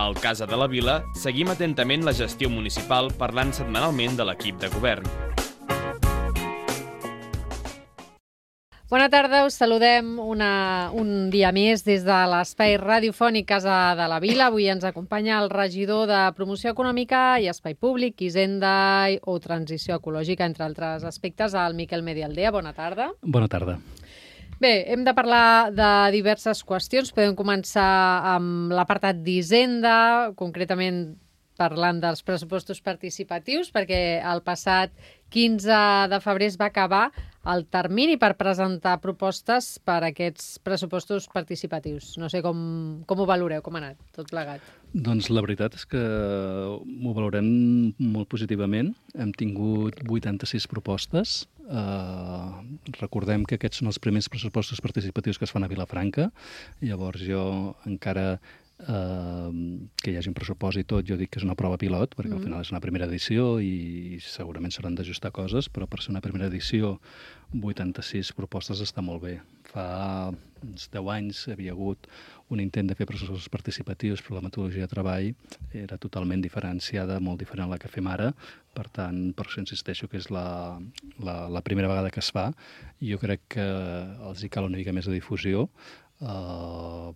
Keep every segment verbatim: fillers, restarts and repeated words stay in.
Al Casa de la Vila seguim atentament la gestió municipal parlant setmanalment de l'equip de govern. Bona tarda, us saludem una, un dia més des de l'espai radiofònic Casa de la Vila. Avui ens acompanya el regidor de Promoció Econòmica i Espai Públic, Hisenda o Transició Ecològica, entre altres aspectes, el Miquel Medialdea. Bona tarda. Bona tarda. Bé, hem de parlar de diverses qüestions. Podem començar amb l'apartat d'Hisenda, concretament parlant dels pressupostos participatius, perquè el passat quinze de febrer es va acabar el termini per presentar propostes per a aquests pressupostos participatius. No sé com, com ho valoreu, com ha anat tot plegat. Doncs la veritat és que ho valorem molt positivament. Hem tingut vuitanta-sis propostes. Uh, recordem que aquests són els primers pressupostos participatius que es fan a Vilafranca. Llavors jo encara Uh, que hi hagi un pressupost i tot, jo dic que és una prova pilot, perquè mm. al final és una primera edició i segurament s'hauran d'ajustar coses, però per ser una primera edició vuitanta-sis propostes està molt bé. Fa uns deu anys havia hagut un intent de fer pressupostos participatius, però la metodologia de treball era totalment diferenciada, molt diferent a la que fem ara. Per tant, per això insisteixo que és la, la, la primera vegada que es fa, i jo crec que els hi cal una mica més de difusió, uh,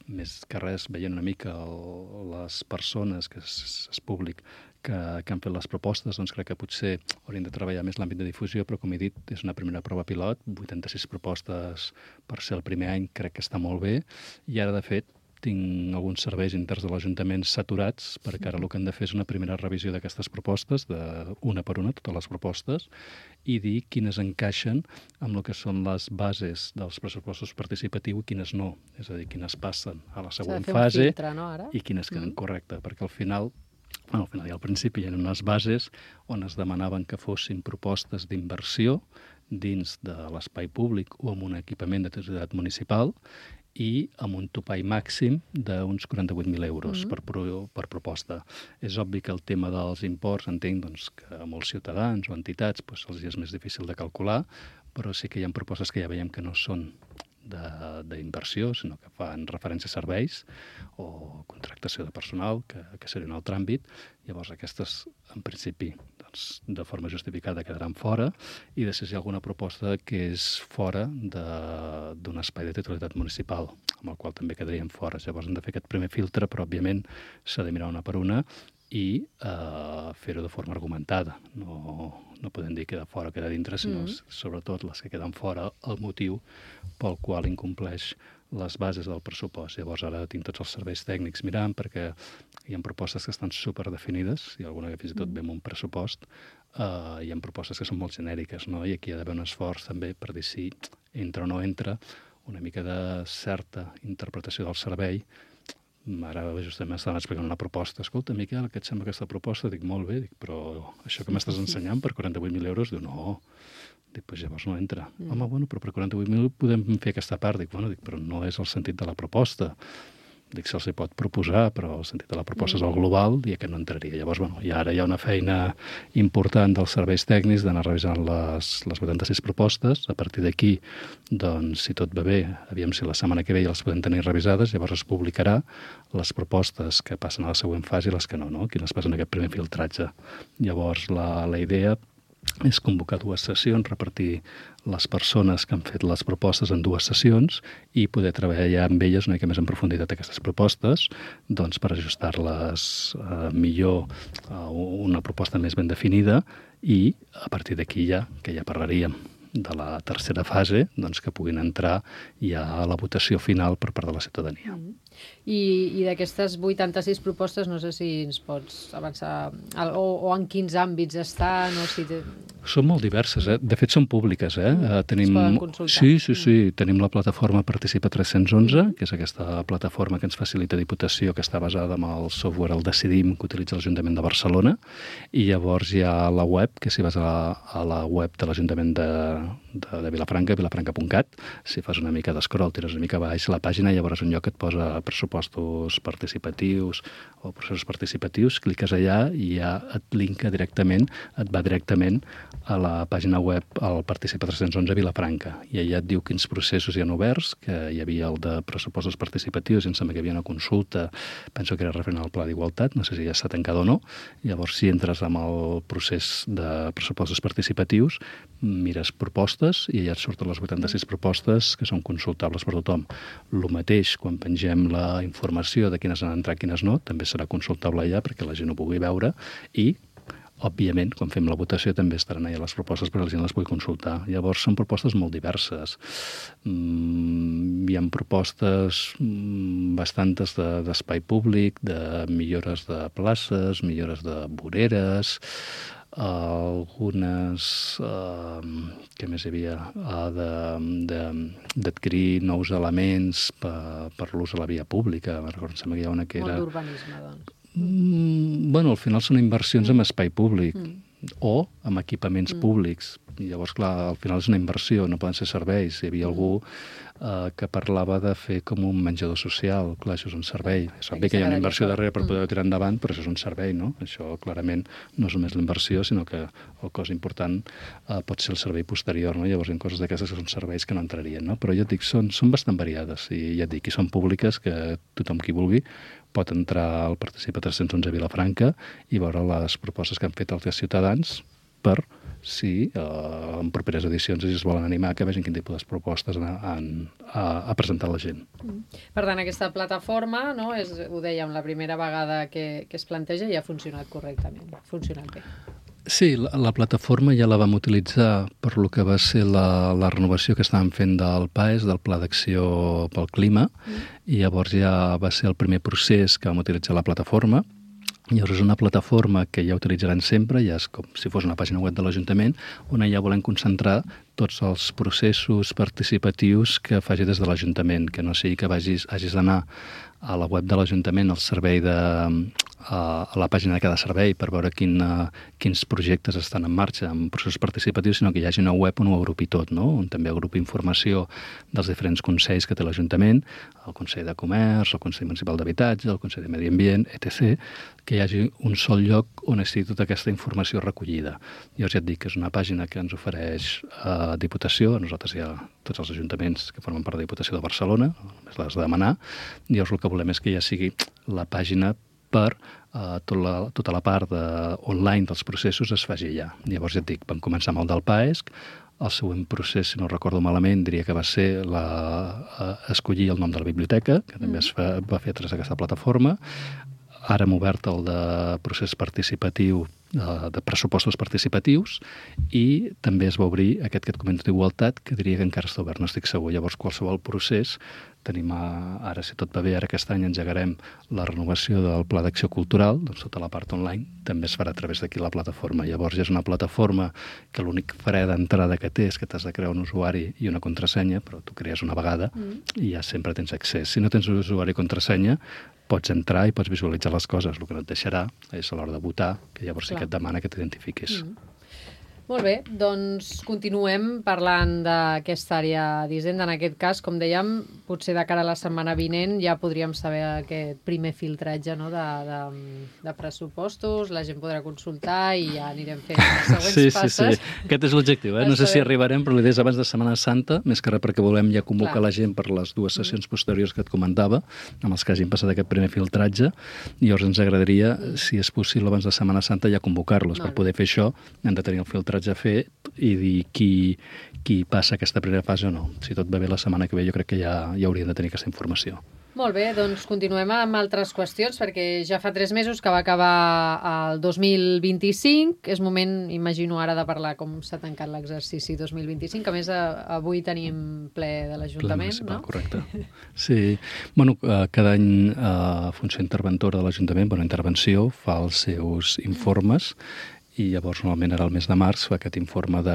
més que res veient una mica el, les persones, que és, és públic, que, que han fet les propostes, doncs crec que potser haurien de treballar més l'àmbit de difusió, però com he dit, és una primera prova pilot, vuitanta-sis propostes per ser el primer any, crec que està molt bé, i ara, de fet, tinc alguns serveis interns de l'Ajuntament saturats, perquè ara el que han de fer és una primera revisió d'aquestes propostes, de una per una, totes les propostes, i dir quines encaixen amb el que són les bases dels pressupostos participatius i quines no. És a dir, quines passen a la següent fase filtre, no, ara? I quines queden mm. correctes, perquè al final, bueno, al final i al principi hi ha unes bases on es demanaven que fossin propostes d'inversió dins de l'espai públic o amb un equipament de titularitat municipal, i amb un topall màxim d'uns quaranta-vuit mil euros mm. per, pro, per proposta. És obvi que el tema dels imports, entenc doncs, que a molts ciutadans o entitats doncs, els és més difícil de calcular, però sí que hi ha propostes que ja veiem que no són d'inversió, sinó que fan referència a serveis o contractació de personal, que, que seria un altre àmbit. Llavors aquestes, en principi, doncs, de forma justificada quedaran fora, i després hi ha alguna proposta que és fora d'un espai de titularitat municipal, amb el qual també quedarien fora. Llavors hem de fer aquest primer filtre, però òbviament s'ha de mirar una per una i uh, fer-ho de forma argumentada. No, no podem dir queda fora o queda dintre, sinó mm. sobretot les que queden fora, el motiu pel qual incompleix les bases del pressupost. Llavors ara tinc tots els serveis tècnics mirant, perquè hi ha propostes que estan superdefinides, i alguna que fins i tot ve amb un pressupost, uh, hi ha propostes que són molt genèriques, no? I aquí hi ha d'haver un esforç també per dir si entra o no entra, una mica de certa interpretació del servei. Ara justament estaven explicant una proposta. Escolta, Miquel, què et sembla aquesta proposta? Dic, molt bé, dic, però això que m'estàs ensenyant per quaranta-vuit mil euros? Diu, no. Dic, doncs llavors no entra. Mm. Home, bueno, però per quaranta-vuit mil podem fer aquesta part. Dic, bueno, dic, però no és el sentit de la proposta. Dic, se'ls hi pot proposar, però el sentit de la proposta mm. és el global i aquest no entraria. Llavors, bueno, i ara hi ha una feina important dels serveis tècnics d'anar revisant les, les vuitanta-sis propostes. A partir d'aquí, doncs, si tot va bé, aviam si la setmana que ve ja les podem tenir revisades, llavors es publicarà les propostes que passen a la següent fase i les que no, no? Quines passen aquest primer filtratge. Llavors, la, la idea és convocar dues sessions, repartir les persones que han fet les propostes en dues sessions i poder treballar amb elles una mica més en profunditat aquestes propostes, doncs per ajustar-les eh, millor a una proposta més ben definida, i a partir d'aquí ja, que ja parlaríem de la tercera fase, doncs que puguin entrar ja a la votació final per part de la ciutadania. Mm. I, i d'aquestes vuitanta-sis propostes, no sé si ens pots avançar, o, o en quins àmbits estan, o si... Te... Són molt diverses, eh? De fet, són públiques, eh? Mm. Tenim... Es poden consultar. Sí, sí, sí. Mm. Tenim la plataforma Participa tres-cents onze, mm. que és aquesta plataforma que ens facilita Diputació, que està basada en el software El Decidim, que utilitza l'Ajuntament de Barcelona, i llavors hi ha la web, que si vas a la, a la web de l'Ajuntament de, de, de Vilafranca, vilafranca punt cat, si fas una mica d'escroll, tires una mica baix la pàgina, llavors un lloc que et posa pressupostos participatius o processos participatius, cliques allà i ja et linka directament, et va directament a la pàgina web al Participa tres-cents onze Vilafranca, i allà et diu quins processos hi ha oberts, que hi havia el de pressupostos participatius, i em sembla que hi havia una consulta, penso que era referent al pla d'igualtat, no sé si ja està tancat o no. Llavors, si entres amb el procés de pressupostos participatius, mires propostes i allà et surten les vuitanta-sis propostes que són consultables per tothom. El mateix, quan pengem la informació de quines han entrat, quines no, també serà consultable allà perquè la gent ho pugui veure i, òbviament, quan fem la votació també estaran allà les propostes perquè la gent les pugui consultar. Llavors, són propostes molt diverses. Mm, hi ha propostes mm, bastantes de, d'espai públic, de millores de places, millores de voreres, algunes, uh, què més hi havia, uh, d'adquirir nous elements per, per l'ús a la via pública. Recordo, em sembla que hi ha una que era... Molt d'urbanisme, doncs. Mm, bueno, al final són inversions mm. en espai públic mm. o en equipaments mm. públics. I llavors, clar, al final és una inversió, no poden ser serveis. Hi havia mm. algú eh, que parlava de fer com un menjador social. Clar, això és un servei. És obvi que hi ha una inversió darrere per poder tirar endavant, però això és un servei, no? Això clarament no és només l'inversió, sinó que el cos important eh, pot ser el servei posterior, no? Llavors hi ha coses d'aquestes que són serveis que no entrarien, no? Però ja et dic, són, són bastant variades i ja et dic, i són públiques que tothom qui vulgui pot entrar al Participa tres-cents onze Vilafranca i veure les propostes que han fet els ciutadans per si eh, en properes edicions si es volen animar que vegin quin tipus de propostes han, a, a presentar la gent. Per tant, aquesta plataforma, no, és, ho dèiem, la primera vegada que, que es planteja i ha funcionat correctament, ha funcionat bé. Sí, la, la plataforma ja la vam utilitzar per lo que va ser la, la renovació que estàvem fent del P A E S, del Pla d'Acció pel Clima, mm. i llavors ja va ser el primer procés que vam utilitzar la plataforma. Llavors és una plataforma que ja utilitzaran sempre, ja és com si fos una pàgina web de l'Ajuntament, on ja volem concentrar tots els processos participatius que faci des de l'Ajuntament, que no sigui que vagis, hagis d'anar a la web de l'Ajuntament, al servei de, a, a la pàgina de cada servei per veure quin, uh, quins projectes estan en marxa en processos participatius, sinó que hi hagi una web on ho agrupi tot, no? On també agrupi informació dels diferents consells que té l'Ajuntament, el Consell de Comerç, el Consell Municipal d'Habitatge, el Consell de Medi Ambient, etcètera, que hi hagi un sol lloc on estigui tota aquesta informació recollida. Jo ja et dic que és una pàgina que ens ofereix a uh, Diputació, a nosaltres hi ha tots els ajuntaments que formen part de Diputació de Barcelona, només l'has de demanar, i llavors el que volem és que ja sigui la pàgina per uh, tot la, tota la part de, online dels processos es faci allà. Llavors ja et dic, vam començar amb el del P A E S, el següent procés, si no recordo malament, diria que va ser la, uh, escollir el nom de la biblioteca, que també es fa, va fer a través d'aquesta plataforma. Ara hem obert el de procés participatiu, de pressupostos participatius, i també es va obrir aquest que et comento d'igualtat, que diria que encara està obert, no estic segur. Llavors, qualsevol procés, tenim a, ara, si tot va bé, ara aquest any engegarem la renovació del Pla d'Acció Cultural, doncs tota la part online també es farà a través d'aquí la plataforma. Llavors ja és una plataforma que l'únic fre d'entrada que té és que t'has de crear un usuari i una contrasenya, però tu crees una vegada mm. i ja sempre tens accés. Si no tens un usuari i contrasenya, pots entrar i pots visualitzar les coses. El que no et deixarà és a l'hora de votar, que llavors sí que et demana que t'identifiquis. Mm. Molt bé, doncs continuem parlant d'aquesta àrea d'Hisenda. En aquest cas, com dèiem, potser de cara a la setmana vinent ja podríem saber aquest primer filtratge, no, de, de, de pressupostos, la gent podrà consultar i ja anirem fent les següents sí, passes. Sí, sí, aquest és l'objectiu. Eh? No sé si arribarem, però l'idea és abans de Setmana Santa, més que res perquè volem ja convocar Clar. la gent per les dues sessions posteriors que et comentava, amb els que hagin passat aquest primer filtratge, i llavors ens agradaria, si és possible, abans de Setmana Santa ja convocar-los. Per poder fer això hem de tenir el filtratge a fer i dir qui, qui passa aquesta primera fase o no. Si tot va bé la setmana que ve, jo crec que ja, ja hauríem de tenir aquesta informació. Molt bé, doncs continuem amb altres qüestions, perquè ja fa tres mesos que va acabar el dos mil vint-i-cinc. És moment, imagino ara, de parlar com s'ha tancat l'exercici dos mil vint-i-cinc. A més, avui tenim ple de l'Ajuntament, no? Correcte. Sí. Bueno, cada any la Funció Interventora de l'Ajuntament, bueno, intervenció, fa els seus informes, i llavors normalment ara al mes de març fa aquest informe de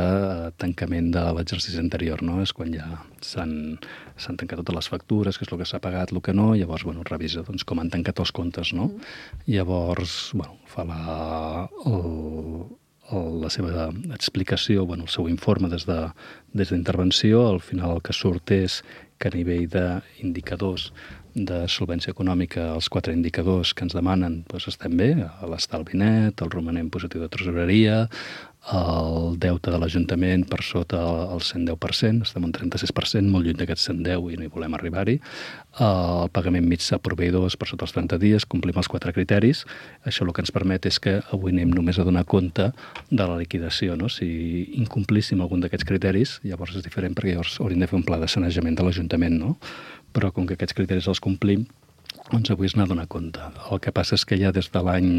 tancament de l'exercici anterior, no? És quan ja s'han s'han tancat totes les factures, que és el que s'ha pagat, el que no, i llavors, bueno, revisa doncs, com han tancat els comptes, no? Mm. Llavors, bueno, fa la, el, el, la seva explicació, bueno, el seu informe des de, des d'intervenció. Al final el que surt és que a nivell d'indicadors de solvència econòmica, els quatre indicadors que ens demanen, doncs estem bé, l'estalvi net, el romanent positiu de tresoreria, el deute de l'Ajuntament per sota el cent deu per cent, estem un trenta-sis per cent, molt lluny d'aquest cent deu i no hi volem arribar-hi. El pagament mitjà a proveïdors per sota els trenta dies, complim els quatre criteris. Això el que ens permet és que avui anem només a donar compte de la liquidació. No? Si incomplíssim algun d'aquests criteris, llavors és diferent perquè llavors hauríem de fer un pla de sanejament de l'Ajuntament, no? Però com que aquests criteris els complim, doncs avui és anar a donar compte. El que passa és que ja des de l'any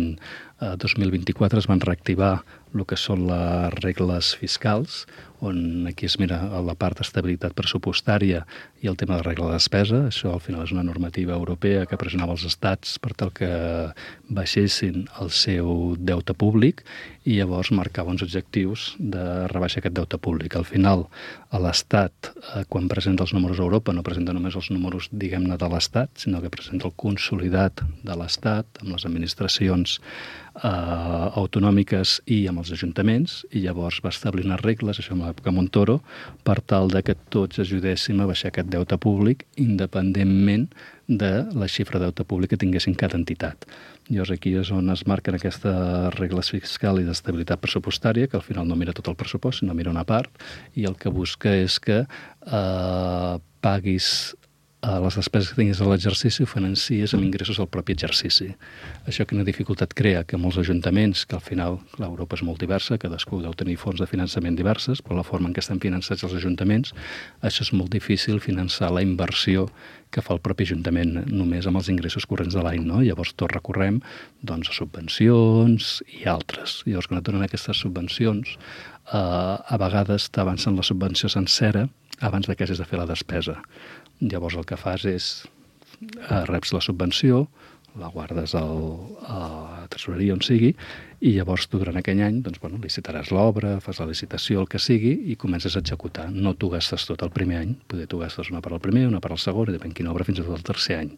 dos mil vint-i-quatre es van reactivar el que són les regles fiscals, on aquí es mira la part d'estabilitat pressupostària i el tema de regla de despesa. Això al final és una normativa europea que pressionava els estats per tal que baixessin el seu deute públic i llavors marcava uns objectius de rebaixar aquest deute públic. Al final, l'Estat, quan presenta els números a Europa, no presenta només els números, diguem-ne, de l'Estat, sinó que presenta el consolidat de l'Estat amb les administracions eh, autonòmiques i amb els ajuntaments, i llavors va establir unes regles, això en l'època Montoro, per tal de que tots ajudéssim a baixar aquest deute públic independentment de la xifra de deute públic que tinguessin cada entitat. Llavors aquí és on es marquen aquestes regles fiscals i d'estabilitat pressupostària, que al final no mira tot el pressupost, sinó mira una part, i el que busca és que eh, paguis a les despeses que tinguis a l'exercici ho financies amb ingressos del propi exercici. Això quina dificultat crea? Que molts ajuntaments, que al final l'Europa és molt diversa, cadascú deu tenir fons de finançament diverses, però la forma en què estan finançats els ajuntaments, això és molt difícil finançar la inversió que fa el propi ajuntament només amb els ingressos corrents de l'any, no? Llavors tot recorrem doncs, a subvencions i altres. Llavors quan et donen aquestes subvencions, eh, a vegades t'avancen la subvenció sencera abans de que hagis de fer la despesa. Llavors el que fas és, eh, reps la subvenció, la guardes al, a la tresoreria on sigui, i llavors tu durant aquell any doncs, bueno, licitaràs l'obra, fas la licitació, el que sigui, i comences a executar. No t'ho gastes tot el primer any, poder t'ho gastes una per al primer, una per al segon, i depèn quina obra, fins i tot el tercer any.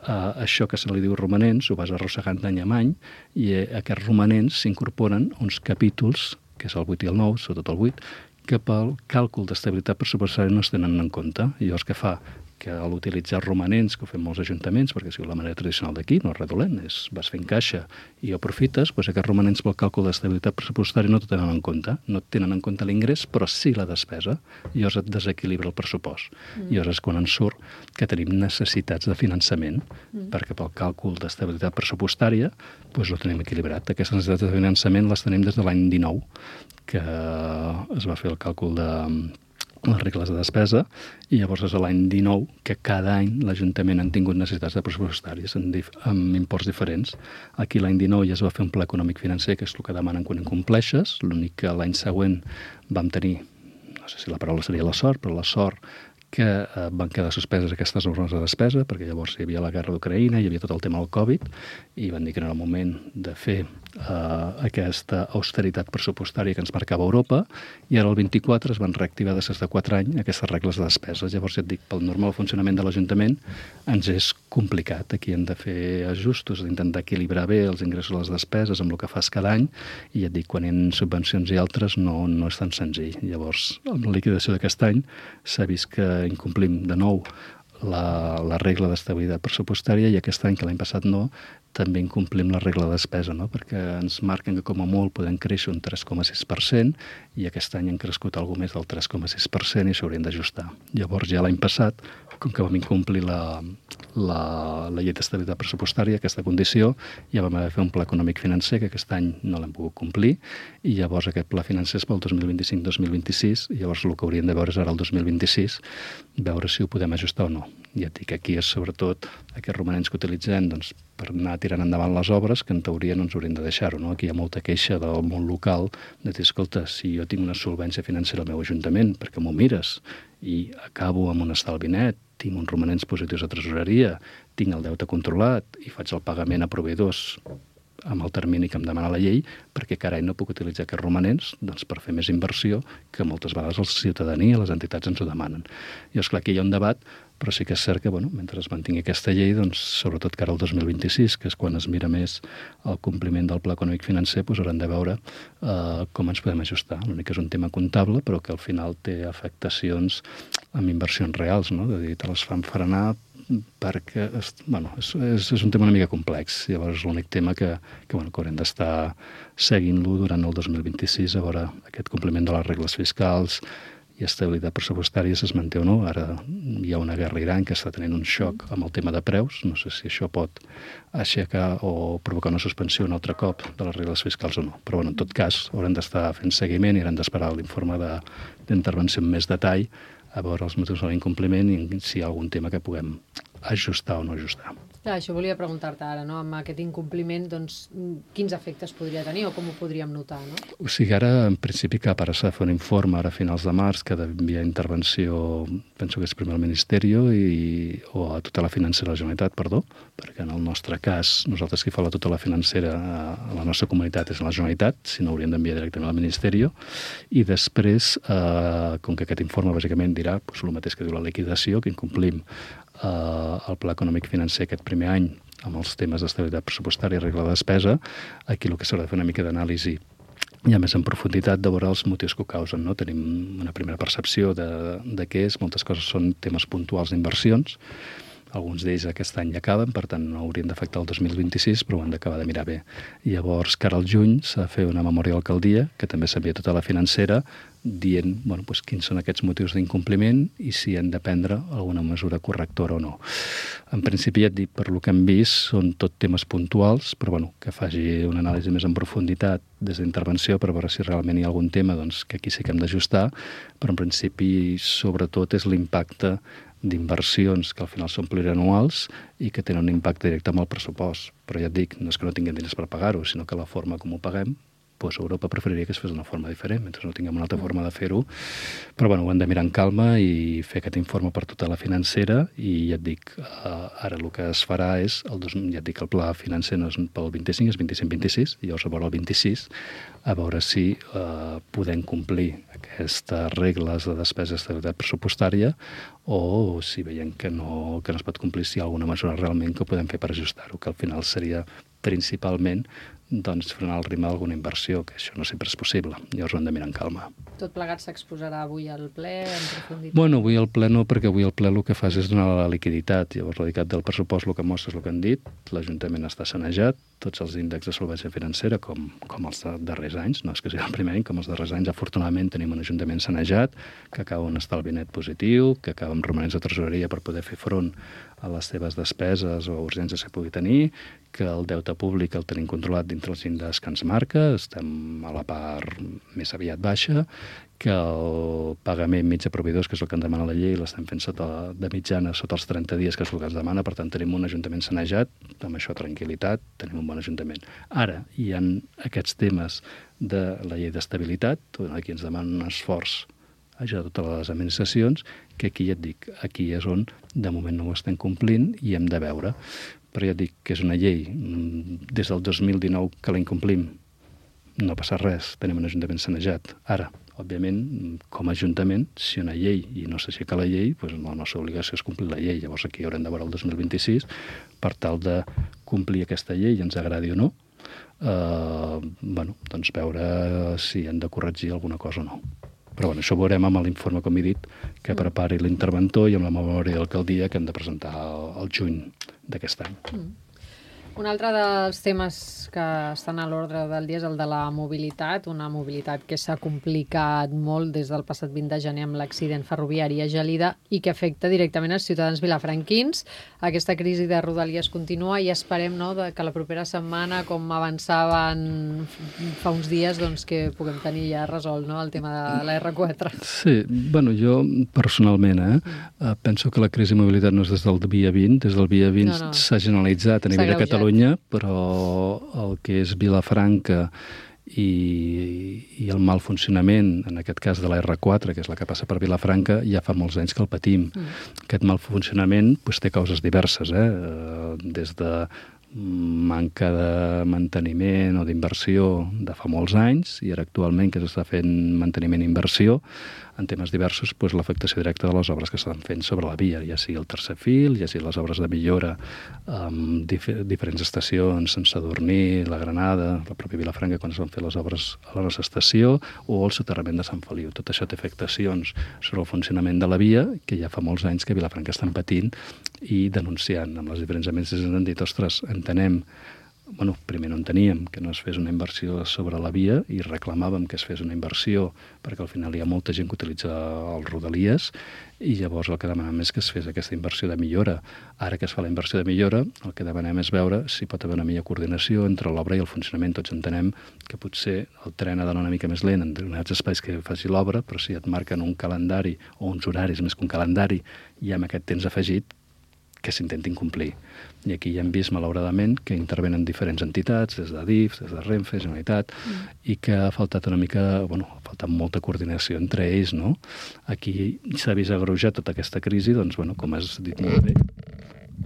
Uh, això que se li diu romanents ho vas arrossegant d'any en any, i eh, aquests romanents s'incorporen uns capítols, que és el vuit i el nou, sobretot el vuit, que pel càlcul d'estabilitat pressupostària no es tenen en compte. I llavors què fa? Que a l'utilitzar romanents, que ho fem molts ajuntaments, perquè si la manera tradicional d'aquí no és res dolent, és vas fent caixa i aprofites, doncs aquests romanents pel càlcul d'estabilitat pressupostària no te tenen en compte. No et tenen en compte l'ingrés, però sí la despesa. I llavors et desequilibra el pressupost. Mm. I llavors és quan ens surt que tenim necessitats de finançament, mm. perquè pel càlcul d'estabilitat pressupostària doncs ho tenim equilibrat. Aquestes necessitats de finançament les tenim des de l'any dinou, que es va fer el càlcul de les regles de despesa, i llavors és l'any dinou que cada any l'Ajuntament han tingut necessitats de pressupostàries amb, dif amb imports diferents. Aquí l'any dinou ja es va fer un pla econòmic financer, que és el que demanen quan incompleixes, l'únic que l'any següent vam tenir, no sé si la paraula seria la sort, però la sort que eh, van quedar suspeses aquestes normes de despesa, perquè llavors hi havia la guerra d'Ucraïna, hi havia tot el tema del Covid, i van dir que no era el moment de fer eh, aquesta austeritat pressupostària que ens marcava Europa, i ara el vint-i-quatre es van reactivar després de quatre anys aquestes regles de despesa. Llavors, ja et dic, pel normal funcionament de l'Ajuntament ens és complicat. Aquí hem de fer ajustos, d'intentar equilibrar bé els ingressos i les despeses amb el que fas cada any, i ja et dic, quan hi ha subvencions i altres no, no és tan senzill. Llavors, amb la liquidació d'aquest any s'ha vist que incomplim de nou la, la regla d'estabilitat pressupostària, i aquest any, que l'any passat no, també incomplim la regla de despesa, no? Perquè ens marquen que com a molt podem créixer un tres coma sis per cent, i aquest any han crescut alguna més del tres coma sis per cent i s'haurien d'ajustar. Llavors ja l'any passat, com que vam incomplir la, la, la llei d'estabilitat pressupostària, aquesta condició, ja vam haver de fer un pla econòmic financer, que aquest any no l'hem pogut complir, i llavors aquest pla financer és pel dos mil vint-i-cinc dos mil vint-i-sis, i llavors el que hauríem de veure és ara el dos mil vint-i-sis, veure si ho podem ajustar o no. Ja et dic, aquí és sobretot aquests romanents que utilitzem doncs, per anar tirant endavant les obres, que en teoria no ens haurien de deixar-ho, no? Aquí hi ha molta queixa del món local de dir, escolta, si jo tinc una solvència financera al meu ajuntament, perquè m'ho mires, i acabo amb un estalvi net, tinc uns romanents positius de tresoreria, tinc el deute controlat i faig el pagament a proveïdors amb el termini que em demana la llei, perquè carai no puc utilitzar aquests romanents doncs, per fer més inversió, que moltes vegades la ciutadania, les entitats ens ho demanen. I és clar, aquí hi ha un debat, però sí que és cert que, bueno, mentre es mantingui aquesta llei, doncs, sobretot que ara el dos mil vint-i-sis, que és quan es mira més el compliment del pla econòmic financer, doncs hauran de veure eh, com ens podem ajustar. L'únic que és un tema comptable, però que al final té afectacions amb inversions reals, no? De dir, te les fan frenar perquè bueno, és, és, és un tema una mica complex. Llavors, l'únic tema que, que, bueno, que haurem d'estar seguint-lo durant el dos mil vint-i-sis, a veure aquest compliment de les regles fiscals i estabilitat pressupostària es manté o no. Ara hi ha una guerra a Iran que està tenint un xoc amb el tema de preus. No sé si això pot aixecar o provocar una suspensió un altre cop de les regles fiscals o no. Però, bueno, en tot cas, haurem d'estar fent seguiment i haurem d'esperar l'informe d'intervenció en més detall a veure els motius de l'incompliment i si hi ha algun tema que puguem ajustar o no ajustar. Clar, això volia preguntar-te ara, no? Amb aquest incompliment, doncs, quins efectes podria tenir o com ho podríem notar, no? O sigui, ara, en principi, cap ara s'ha de fer un informe ara a finals de març que d'enviar intervenció, penso que és primer al Ministeri i, o a tota la financera de la Generalitat, perdó, perquè en el nostre cas, nosaltres qui fa la tota la financera a la nostra comunitat és la Generalitat, si no hauríem d'enviar directament al Ministeri, i després, eh, com que aquest informe bàsicament dirà doncs, el mateix que diu la liquidació, que incomplim eh, el pla econòmic financer aquest primer any amb els temes d'estabilitat pressupostària i regla de despesa, aquí el que s'haurà de fer una mica d'anàlisi ja més en profunditat de veure els motius que ho causen. No? Tenim una primera percepció de, de què és, moltes coses són temes puntuals d'inversions, alguns d'ells aquest any ja acaben, per tant no haurien d'afectar el dos mil vint-i-sis, però ho han d'acabar de mirar bé. I llavors, cara al juny, s'ha de fer una memòria d'alcaldia, que també s'envia tota la financera, dient bueno, doncs, quins són aquests motius d'incompliment i si han de prendre alguna mesura correctora o no. En principi, ja et dic, per lo que hem vist, són tot temes puntuals, però bueno, que faci una anàlisi més en profunditat des d'intervenció per veure si realment hi ha algun tema doncs, que aquí sí que hem d'ajustar, però en principi, sobretot, és l'impacte d'inversions que al final són plurianuals i que tenen un impacte directe amb el pressupost. Però ja et dic, no és que no tinguem diners per pagar-ho, sinó que la forma com ho paguem, doncs Europa preferiria que es fes d'una forma diferent, mentre no tinguem una altra forma de fer-ho. Però bueno, ho hem de mirar en calma i fer aquest informe per tota la financera i ja et dic, eh, ara el que es farà és, el dos, ja et dic, el pla financer no és pel vint-i-cinc, és vint-i-cinc vint-i-sis, i llavors a veure el vint-i-sis, a veure si eh, podem complir aquestes regles de despesa d'estabilitat pressupostària o si veiem que no, que no es pot complir, si hi ha alguna mesura realment que ho podem fer per ajustar-ho, que al final seria principalment doncs, frenar el ritme d'alguna inversió, que això no sempre és possible. Llavors ho hem de mirar en calma. Tot plegat s'exposarà avui al ple en profunditat? Bueno, avui al ple no, perquè avui al ple el que fas és donar la liquiditat. Llavors la liquiditat del pressupost el que mostra és el que han dit, l'Ajuntament està sanejat, tots els índexs de solvència financera, com, com els darrers anys, no és que sigui el primer any, com els darrers anys, afortunadament tenim un Ajuntament sanejat, que acaba un estalvi net positiu, que acaba amb romanents de tresoreria per poder fer front a les seves despeses o urgències que pugui tenir, que el deute públic el tenim controlat dintre els índexs que ens marca, estem a la part més aviat baixa, que el pagament mig a proveïdors, que és el que en demana la llei, l'estem fent sota, de mitjana sota els trenta dies, que és el que ens demana, per tant tenim un Ajuntament sanejat, amb això tranquil·litat, tenim un bon Ajuntament. Ara, hi ha aquests temes de la llei d'estabilitat, aquí ens demana un esforç a totes les administracions, que aquí ja et dic, aquí és on de moment no ho estem complint i hem de veure. Però ja et dic que és una llei, des del dos mil dinou que la incomplim, no passa res, tenim un Ajuntament sanejat. Ara, òbviament, com a Ajuntament, si una llei i no s'aixeca la llei, doncs la nostra obligació és complir la llei. Llavors aquí haurem de veure el dos mil vint-i-sis per tal de complir aquesta llei, ens agradi o no, eh, bueno, doncs veure si hem de corregir alguna cosa o no. Però bueno, això ho veurem amb l'informe, com he dit, que prepari l'interventor i amb la memòria d'alcaldia que hem de presentar al juny d'aquest any. Mm. Un altre dels temes que estan a l'ordre del dia és el de la mobilitat, una mobilitat que s'ha complicat molt des del passat vint de gener amb l'accident ferroviari a Gelida i que afecta directament els ciutadans vilafranquins. Aquesta crisi de Rodalies continua i esperem no, que la propera setmana, com avançaven fa uns dies, doncs, que puguem tenir ja resolt no, el tema de la erre quatre. Sí, bueno, jo personalment eh, mm. penso que la crisi de mobilitat no és des del dia vint, des del dia vint no, no. s'ha generalitzat a nivell de Catalunya, però el que és Vilafranca i, i el mal funcionament, en aquest cas de la erre quatre, que és la que passa per Vilafranca, ja fa molts anys que el patim. Mm. Aquest mal funcionament doncs, té causes diverses, eh? des de manca de manteniment o d'inversió de fa molts anys, i ara actualment que s'està fent manteniment i inversió, en temes diversos, doncs, l'afectació directa de les obres que s'estan fent sobre la via, ja sigui el tercer fil, ja sigui les obres de millora amb dif diferents estacions, Sant Sadurní, la Granada, la pròpia Vilafranca, quan es van fer les obres a la nostra estació, o el soterrament de Sant Feliu. Tot això té afectacions sobre el funcionament de la via, que ja fa molts anys que a Vilafranca estan patint i denunciant amb les diferents administracions. Han dit, ostres, entenem, bueno, primer no enteníem que no es fes una inversió sobre la via i reclamàvem que es fes una inversió perquè al final hi ha molta gent que utilitza els Rodalies i llavors el que demanem és que es fes aquesta inversió de millora. Ara que es fa la inversió de millora, el que demanem és veure si pot haver una millor coordinació entre l'obra i el funcionament. Tots entenem que potser el tren ha d'anar una mica més lent en determinats espais que faci l'obra, però si et marquen un calendari o uns horaris més que un calendari i amb aquest temps afegit, que s'intentin complir. I aquí ja hem vist, malauradament, que intervenen diferents entitats, des de D I F, des de Renfe, Generalitat, mm. i que ha faltat una mica, bueno, ha faltat molta coordinació entre ells, no? Aquí s'ha vist agreujat tota aquesta crisi, doncs, bueno, com has dit molt bé,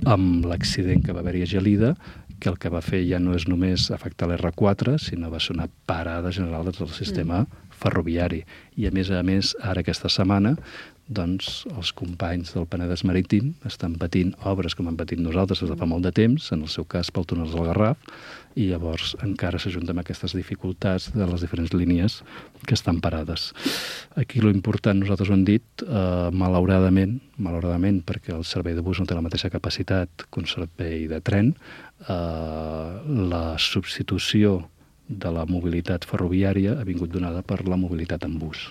amb l'accident que va haver-hi a Gelida, que el que va fer ja no és només afectar l'R quatre, sinó va ser una parada general del sistema mm. ferroviari. I, a més a més, ara aquesta setmana, doncs els companys del Penedès Marítim estan patint obres com hem patit nosaltres des de fa molt de temps, en el seu cas pel túnel del Garraf, i llavors encara s'ajunta amb aquestes dificultats de les diferents línies que estan parades. Aquí lo important, nosaltres ho hem dit, eh, malauradament, malauradament, perquè el servei de bus no té la mateixa capacitat que un servei de tren, eh, la substitució de la mobilitat ferroviària ha vingut donada per la mobilitat en bus.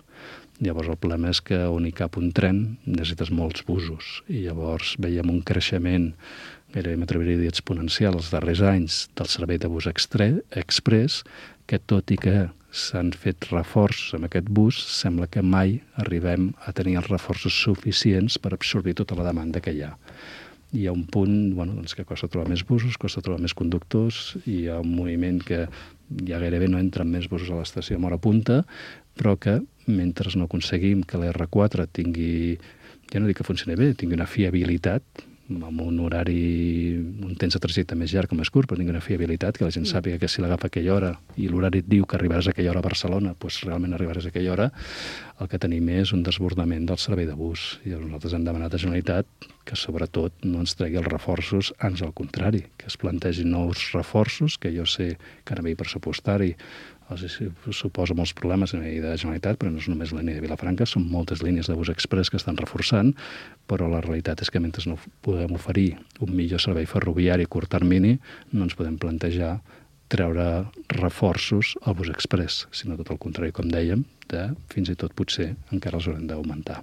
Llavors el problema és que on hi cap un tren necessites molts busos i llavors veiem un creixement gairebé m'atreviria a dir exponencial els darrers anys del servei de bus express, que tot i que s'han fet reforços amb aquest bus, sembla que mai arribem a tenir els reforços suficients per absorbir tota la demanda que hi ha. Hi ha un punt bueno, doncs que costa trobar més busos, costa trobar més conductors, i hi ha un moviment que ja gairebé no entren més busos a l'estació amb hora punta, però que mentre no aconseguim que l'R quatre tingui, ja no dic que funcioni bé, tingui una fiabilitat, amb un horari, un temps de trajecte més llarg o més curt, però tingui una fiabilitat, que la gent sàpiga que si l'agafa a aquella hora i l'horari et diu que arribaràs a aquella hora a Barcelona, doncs realment arribaràs a aquella hora, el que tenim és un desbordament del servei de bus. I nosaltres hem demanat a Generalitat que sobretot no ens tregui els reforços, ans al contrari, que es plantegin nous reforços, que jo sé que a nivell pressupostari els suposa molts problemes a nivell de Generalitat, però no és només la línia de Vilafranca, són moltes línies de bus express que estan reforçant, però la realitat és que mentre no podem oferir un millor servei ferroviari a curt termini, no ens podem plantejar treure reforços al bus express, sinó tot el contrari, com dèiem, de fins i tot potser encara els haurem d'augmentar.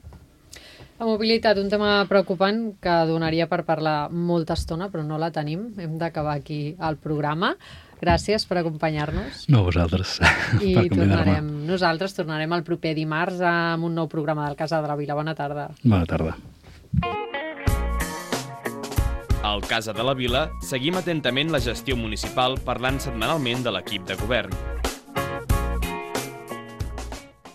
La mobilitat, un tema preocupant que donaria per parlar molta estona, però no la tenim. Hem d'acabar aquí el programa. Gràcies per acompanyar-nos. No, vosaltres. I tornarem, nosaltres tornarem el proper dimarts amb un nou programa del Casa de la Vila. Bona tarda. Bona tarda. Al Casa de la Vila seguim atentament la gestió municipal parlant setmanalment de l'equip de govern.